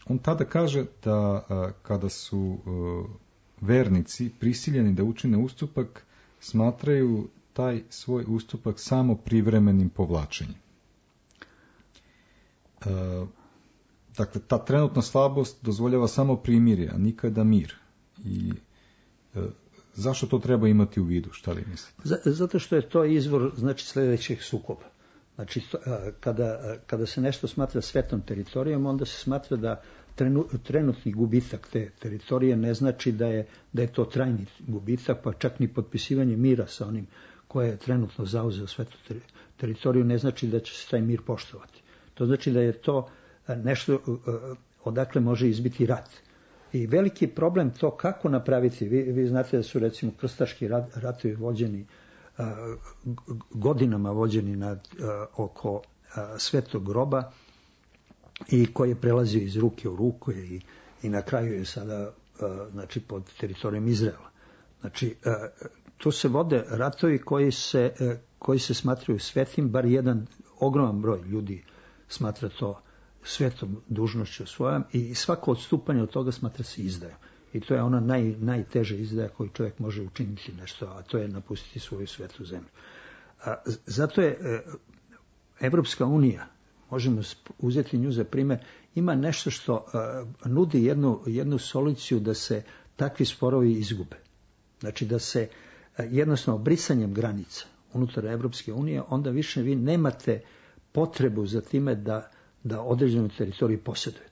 on tada kaže da a, kada su a, vernici prisiljeni da učine ustupak, smatraju taj svoj ustupak samo privremenim povlačenjem. A, dakle, ta trenutna slabost dozvoljava samo primirje, a nikada mir. I a, zašto to treba imati u vidu? Šta li mislite? Zato što je to izvor, znači, sljedećeg sukoba. Znači, kada, kada se nešto smatra svetom teritorijom, onda se smatra da trenutni gubitak te teritorije ne znači da je, da je to trajni gubitak, pa čak ni potpisivanje mira sa onim koje je trenutno zauzeo svetu teritoriju ne znači da će se taj mir poštovati. To znači da je to nešto odakle može izbiti rat. I veliki problem to kako napraviti. Vi, vi znate da su recimo krstaški rat, ratovi vođeni godinama vođeni nad, uh, oko uh, svetog groba i koji je prelazio iz ruke u ruku i, i na kraju je sada uh, znači pod teritorijom Izraela. Znači uh, tu se vode ratovi koji se, uh, koji se smatraju svetim, bar jedan ogroman broj ljudi smatra to svetom dužnošću svojom i svako odstupanje od toga smatra se izdajom. I to je ona naj, najteža izdaja koju čovjek može učiniti nešto, a to je napustiti svoju svetu zemlju. A, zato je e, Evropska unija, možemo uzeti nju za primjer, ima nešto što a, nudi jednu, jednu soluciju da se takvi sporovi izgube. Znači da se a, jednostavno brisanjem granica unutar Evropske unije, onda više vi nemate potrebu za time da, da određenu teritoriju posjedujete.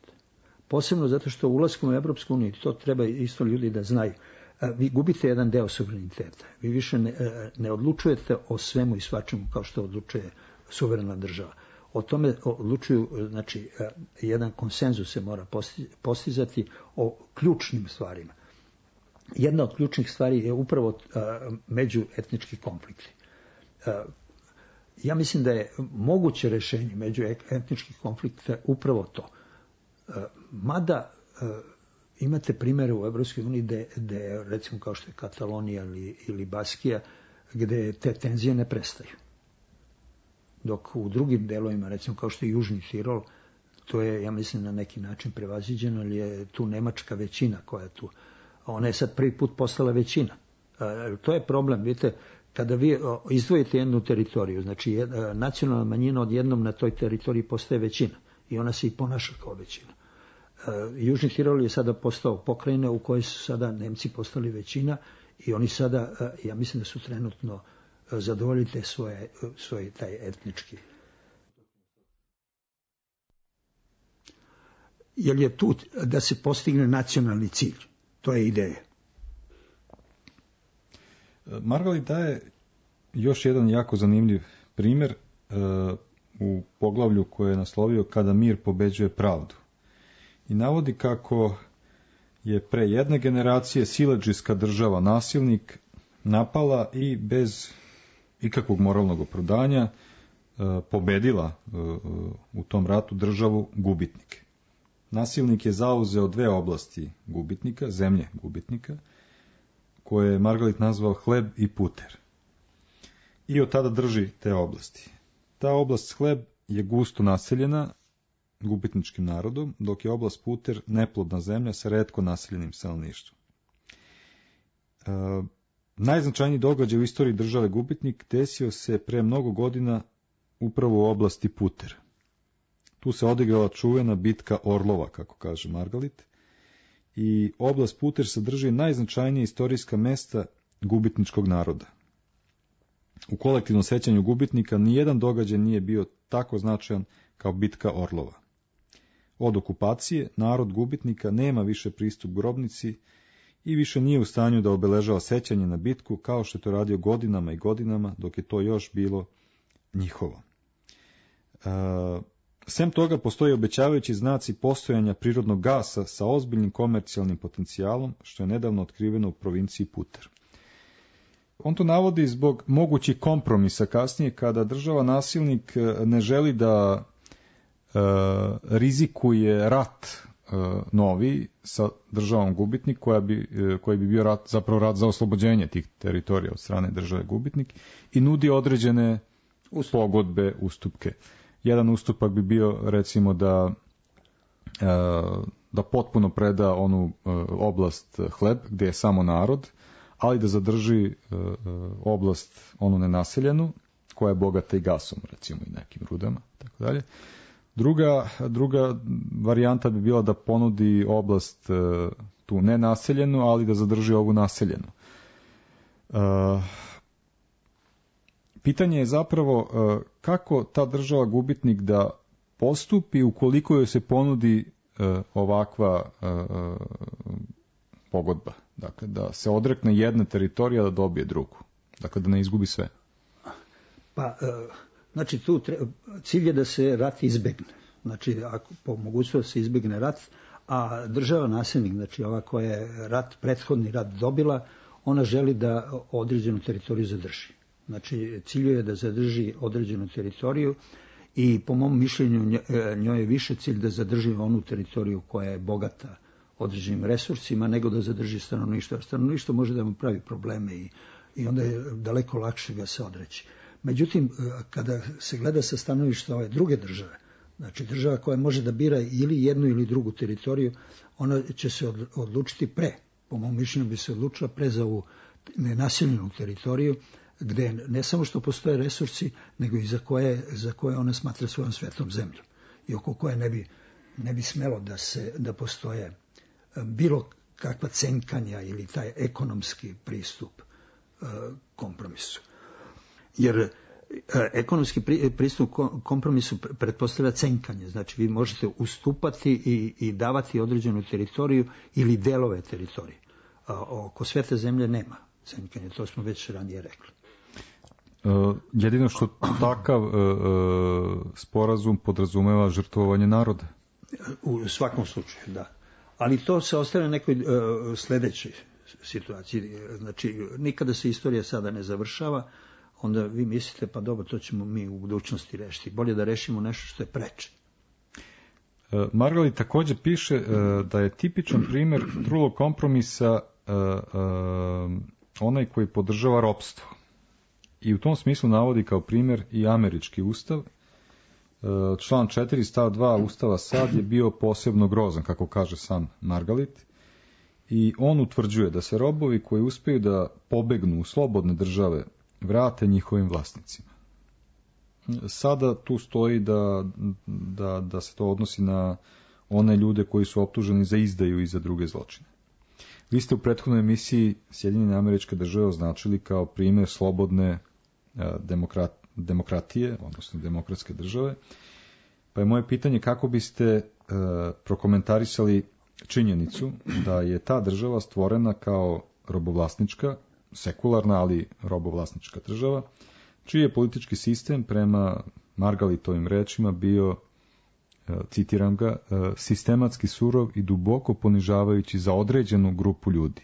Posebno zato što ulaskom u Evropsku uniju, to treba isto ljudi da znaju, vi gubite jedan deo suvereniteta. Vi više ne, ne odlučujete o svemu i svačemu kao što odlučuje suverena država. O tome odlučuju, znači, jedan konsenzus se mora postizati o ključnim stvarima. Jedna od ključnih stvari je upravo međuetnički konflikti. Ja mislim da je moguće rešenje međuetničkih konflikta upravo to. Mada imate primjere u Evropskoj uniji gde, gde recimo kao što je Katalonija ili, ili Baskija, gde te tenzije ne prestaju. Dok u drugim delovima, recimo kao što je Južni Tirol, to je, ja mislim, na neki način prevaziđeno, ali je tu nemačka većina koja je tu. Ona je sad prvi put postala većina. To je problem, vidite, kada vi izdvojite jednu teritoriju, znači nacionalna manjina odjednom na toj teritoriji postaje većina i ona se i ponaša kao većina. Južni Tirol je sada postao pokrajina u kojoj su sada Nemci postali većina i oni sada, ja mislim da su trenutno zadovoljili te svoje, svoj taj etnički. Jer je tu da se postigne nacionalni cilj. To je ideja. Margalit daje još jedan jako zanimljiv primjer uh, u poglavlju koje je naslovio Kada mir pobeđuje pravdu. I navodi kako je pre jedne generacije siledžijska država nasilnik napala i bez ikakvog moralnog opravdanja uh, pobedila uh, u tom ratu državu gubitnike. Nasilnik je zauzeo dve oblasti gubitnika, zemlje gubitnika, koje je Margalit nazvao hleb i puter. I od tada drži te oblasti. Ta oblast hleb je gusto naseljena gubitničkim narodom, dok je oblast puter neplodna zemlja sa retko naseljenim stanovništvom. E, najznačajniji događaj u istoriji države gubitnik desio se pre mnogo godina upravo u oblasti puter. Tu se odigrala čuvena bitka Orlova, kako kaže Margalit, i oblast puter sadrži najznačajnije istorijska mesta gubitničkog naroda. U kolektivnom sećanju gubitnika nijedan događaj nije bio tako značajan kao bitka Orlova. Od okupacije narod gubitnika nema više pristup grobnici i više nije u stanju da obeležava sećanje na bitku kao što je to radio godinama i godinama dok je to još bilo njihovo. E, sem toga postoje obećavajući znaci postojanja prirodnog gasa sa ozbiljnim komercijalnim potencijalom što je nedavno otkriveno u provinciji Puter. On to navodi zbog mogućih kompromisa kasnije kada država nasilnik ne želi da e, rizikuje rat e, novi sa državom gubitnik koja bi, e, koji bi bio rat, zapravo rat za oslobođenje tih teritorija od strane države gubitnik i nudi određene pogodbe, ustupke. Jedan ustupak bi bio recimo da e, da potpuno preda onu e, oblast hleb gdje je samo narod, ali da zadrži e, oblast onu nenaseljenu, koja je bogata i gasom, recimo i nekim rudama, tako dalje. Druga, druga varijanta bi bila da ponudi oblast e, tu nenaseljenu, ali da zadrži ovu naseljenu. E, pitanje je zapravo e, kako ta država gubitnik da postupi ukoliko joj se ponudi e, ovakva e, pogodba. Dakle, da se odrekne jedne teritorije, da dobije drugu. Dakle, da ne izgubi sve. Pa, znači, tu treba, cilj je da se rat izbegne. Znači, ako po mogućnosti se izbegne rat, a država nasilnik, znači ova koja je rat, prethodni rat dobila, ona želi da određenu teritoriju zadrži. Znači, cilj je da zadrži određenu teritoriju i po mom mišljenju njoj je više cilj da zadrži onu teritoriju koja je bogata određenim resursima, nego da zadrži stanovništvo. Stanovništvo može da mu pravi probleme i, i onda je daleko lakše ga se odreći. Međutim, kada se gleda sa stanovišta ove druge države, znači država koja može da bira ili jednu ili drugu teritoriju, ona će se odlučiti pre, po mom mišljenju bi se odlučila pre za ovu nenaseljenu teritoriju, gde ne samo što postoje resursi, nego i za koje, za koje ona smatra svojom svetom zemljom i oko koje ne bi, ne bi smelo da, se, da postoje bilo kakva cenkanja ili taj ekonomski pristup e, kompromisu. Jer e, ekonomski pri, pristup kompromisu pretpostavlja cenkanje. Znači vi možete ustupati i, i davati određenu teritoriju ili delove teritorije. A, oko svete zemlje nema cenkanja, to smo već ranije rekli. Uh, jedino što takav uh, uh, sporazum podrazumeva žrtvovanje naroda. U svakom slučaju, da. Ali to se ostavlja nekoj uh, sledećoj situaciji. Znači, nikada se istorija sada ne završava, onda vi mislite, pa dobro, to ćemo mi u budućnosti rešiti. Bolje da rešimo nešto što je preče. Uh, Margalit također piše uh, da je tipičan primjer trulog kompromisa uh, uh, onaj koji podržava ropstvo. I u tom smislu navodi kao primjer i američki ustav. Član četiri stav dva Ustava sad je bio posebno grozan, kako kaže sam Margalit. I on utvrđuje da se robovi koji uspeju da pobegnu u slobodne države vrate njihovim vlasnicima. Sada tu stoji da, da, da se to odnosi na one ljude koji su optuženi za izdaju i za druge zločine. Vi ste u prethodnoj emisiji Sjedinjene Američke Države označili kao primjer slobodne demokrat, demokratije, odnosno demokratske države. Pa je moje pitanje kako biste e, prokomentarisali činjenicu da je ta država stvorena kao robovlasnička, sekularna, ali robovlasnička država, čiji je politički sistem prema Margalitovim rečima bio, citiram ga, sistematski surov i duboko ponižavajući za određenu grupu ljudi,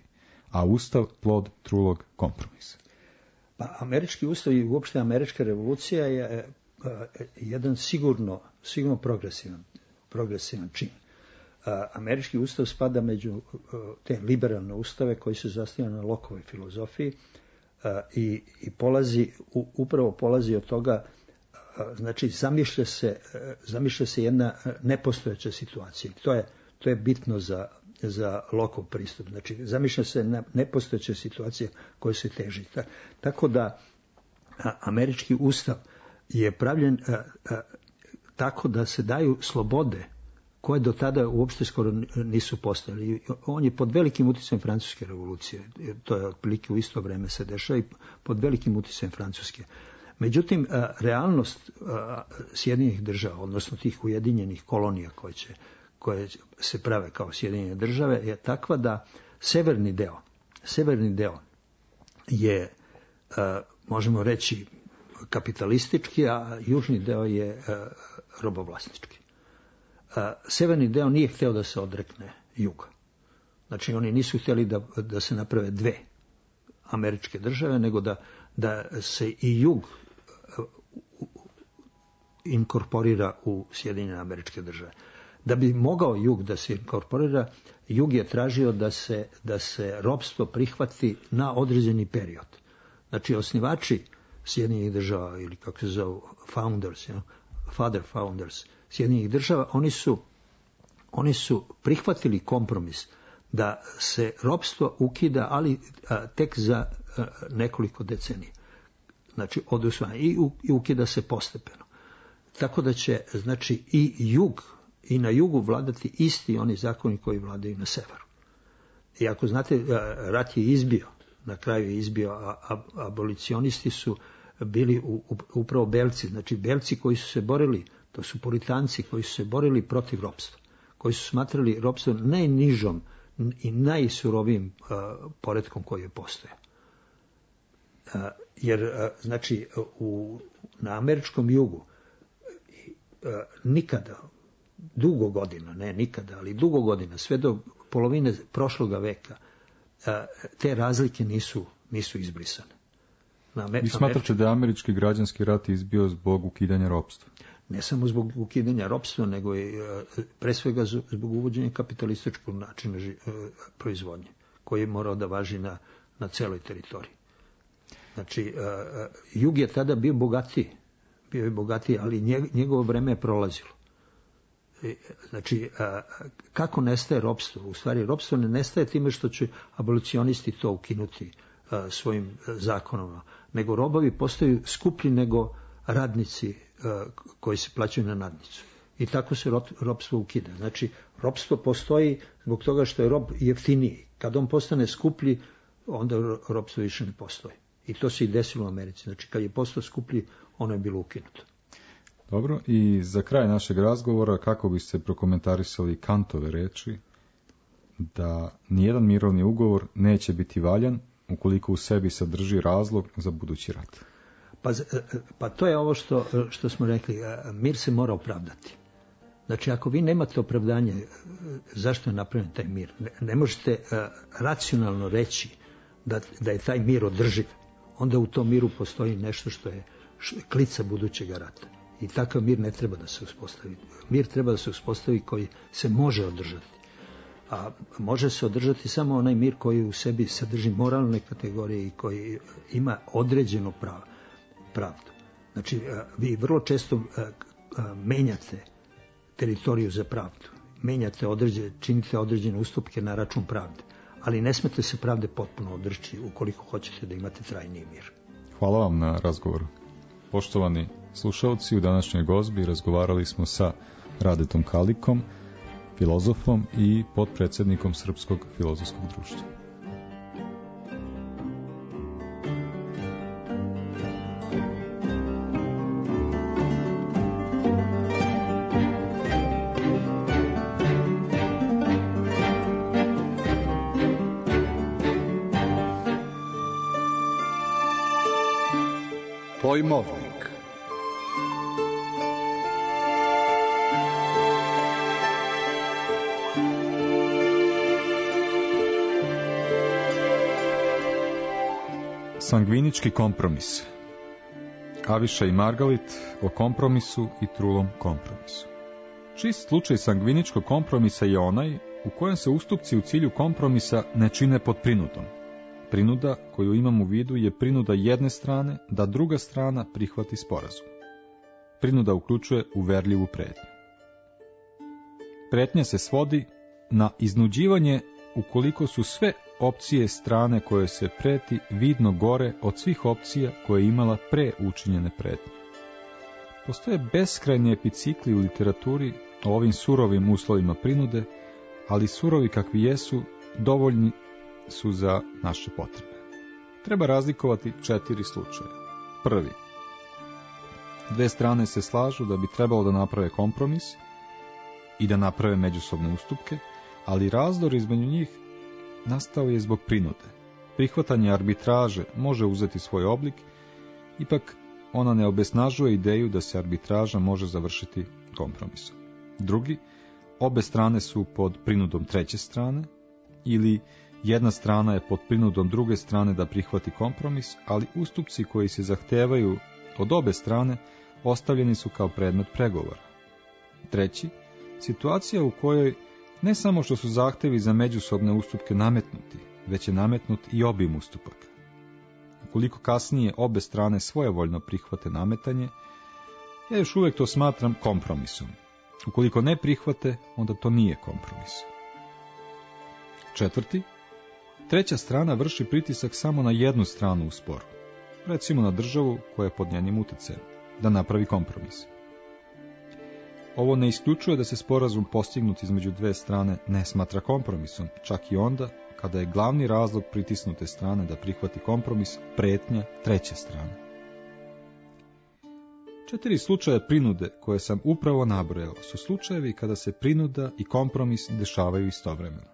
a ustav plod trulog kompromisa. Pa američki ustav i uopšte američka revolucija je jedan sigurno, sigurno progresivan, progresivan čin. Američki ustav spada među te liberalne ustave koji se zasnivaju na Lockeovoj filozofiji i, i polazi, upravo polazi od toga, znači zamišlja se, zamišlja se jedna nepostojeća situacija. To je, to je bitno za, za Lockeov pristup. Znači zamišlja se nepostojeća situacija koja se teži. Tako da američki ustav je pravljen tako da se daju slobode koje do tada uopšte skoro nisu postojali. On je pod velikim utjecajem Francuske revolucije. To je otprilike u isto vreme se dešava i pod velikim utjecajem Francuske. Međutim, realnost Sjedinjenih država, odnosno tih ujedinjenih kolonija koje, će, koje se prave kao Sjedinjene države, je takva da severni deo, severni deo je, možemo reći, kapitalistički, a južni deo je robovlasnički. Severni deo nije hteo da se odrekne juga. Znači, oni nisu htjeli da, da se naprave dve američke države, nego da, da se i jug inkorporira u Sjedinjene Američke Države. Da bi mogao jug da se inkorporira, jug je tražio da se, da se ropstvo prihvati na određeni period. Znači, osnivači Sjedinjenih država, ili kako se zovu, founders, you know, father founders Sjedinjenih država, oni su, oni su prihvatili kompromis da se ropstvo ukida, ali a, tek za a, nekoliko decenija. Znači, od usvajanja. I, I ukida se postepeno. Tako da će, znači, i jug, i na jugu vladati isti oni zakoni koji vladaju na severu. I ako znate, rat je izbio, na kraju je izbio, a, a abolicionisti su bili u, u, upravo belci, znači belci koji su se borili, to su puritanci koji su se borili protiv ropstva, koji su smatrali ropstvo najnižom i najsurovijim uh, poretkom koji je postojao. Uh, jer, uh, znači, u, na američkom jugu uh, nikada, dugo godina, ne nikada, ali dugo godina, sve do polovine prošloga veka, uh, te razlike nisu, nisu izbrisane. Na Amer- Vi smatrate da je američki građanski rat izbio zbog ukidanja ropstva? Ne samo zbog ukidanja ropstva, nego i pre svega zbog uvođenja kapitalističkog načina proizvodnje, koji je morao da važi na, na celoj teritoriji. Znači, jug je tada bio bogatiji, bio je bogatiji, ali njegovo vreme je prolazilo. Znači, kako nestaje ropstvo? U stvari, ropstvo ne nestaje time što će abolicionisti to ukinuti svojim zakonom, nego robovi postaju skuplji nego radnici koji se plaćaju na nadnicu. I tako se ropstvo ukida. Znači, ropstvo postoji zbog toga što je rob jeftiniji. Kad on postane skuplji, onda ropstvo više ne postoji. I to se i desilo u Americi. Znači, kad je postao skuplji, ono je bilo ukinuto. Dobro, i za kraj našeg razgovora, kako biste prokomentarisali Kantove reči da nijedan mirovni ugovor neće biti valjan ukoliko u sebi sadrži razlog za budući rat? Pa, pa to je ovo što, što smo rekli, mir se mora opravdati. Znači, ako vi nemate opravdanje zašto je napravljen taj mir, ne, ne možete uh, racionalno reći da, da je taj mir održiv, onda u tom miru postoji nešto što je klica budućeg rata. I takav mir ne treba da se uspostavi. Mir treba da se uspostavi koji se može održati. A može se održati samo onaj mir koji u sebi sadrži moralne kategorije i koji ima određeno pravo. Pravdu. Znači, vi vrlo često menjate teritoriju za pravdu. Menjate određene, činite određene ustupke na račun pravde. Ali ne smete se pravde potpuno odreći ukoliko hoćete da imate trajniji mir. Hvala vam na razgovoru. Poštovani slušalci, u današnjoj gozbi razgovarali smo sa Radetom Kalikom, filozofom i potpredsjednikom Srpskog filozofskog društva. Pojmovnik. Sangvinički kompromis. Aviša i Margalit o kompromisu i trulom kompromisu. Čist slučaj sangviničkog kompromisa je onaj u kojem se ustupci u cilju kompromisa ne čine pod prinudom. Prinuda koju imam u vidu je prinuda jedne strane da druga strana prihvati sporazum. Prinuda uključuje uverljivu pretnju. Pretnja se svodi na iznuđivanje ukoliko su sve opcije strane koje se preti vidno gore od svih opcija koje je imala pre učinjene pretnje. Postoje beskrajni epicikli u literaturi o ovim surovim uslovima prinude, ali surovi kakvi jesu dovoljni su za naše potrebe. Treba razlikovati četiri slučaja. Prvi. Dve strane se slažu da bi trebalo da naprave kompromis i da naprave međusobne ustupke, ali razdor između njih nastao je zbog prinude. Prihvatanje arbitraže može uzeti svoj oblik, ipak ona ne obesnažuje ideju da se arbitraža može završiti kompromisom. Drugi, obe strane su pod prinudom treće strane, ili jedna strana je pod prinudom druge strane da prihvati kompromis, ali ustupci koji se zahtevaju od obe strane ostavljeni su kao predmet pregovora. Treći, situacija u kojoj ne samo što su zahtevi za međusobne ustupke nametnuti, već je nametnut i obim ustupaka. Ukoliko kasnije obe strane svojevoljno prihvate nametanje, ja još uvijek to smatram kompromisom. Ukoliko ne prihvate, onda to nije kompromis. Četvrti, treća strana vrši pritisak samo na jednu stranu u sporu, recimo na državu koja je pod njenim utjecajem, da napravi kompromis. Ovo ne isključuje da se sporazum postignut između dve strane ne smatra kompromisom, čak i onda kada je glavni razlog pritisnute strane da prihvati kompromis pretnja treće strane. Četiri slučaja prinude koje sam upravo nabrojao su slučajevi kada se prinuda i kompromis dešavaju istovremeno.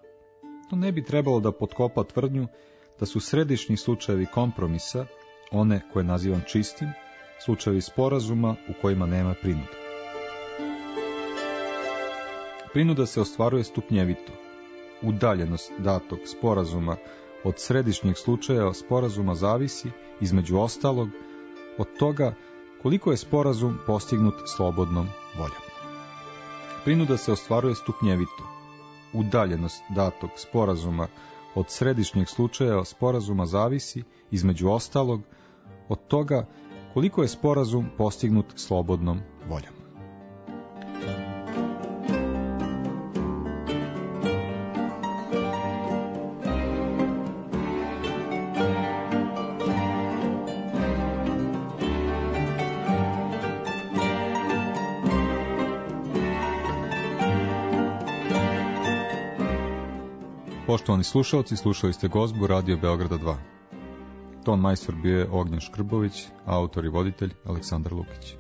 To ne bi trebalo da potkopa tvrdnju da su središnji slučajevi kompromisa, one koje nazivam čistim, slučajevi sporazuma u kojima nema prinude. Prinuda se ostvaruje stupnjevito. Udaljenost datog sporazuma od središnjeg slučaja sporazuma zavisi, između ostalog, od toga koliko je sporazum postignut slobodnom voljom. Prinuda se ostvaruje stupnjevito. Udaljenost datog sporazuma od središnjeg slučaja sporazuma zavisi, između ostalog, od toga koliko je sporazum postignut slobodnom voljom. Poštovani slušalci, slušali ste Gozbu Radio Beograda dva. Ton majstor bio je Ognjen Škrbović, autor i voditelj Aleksandar Lukić.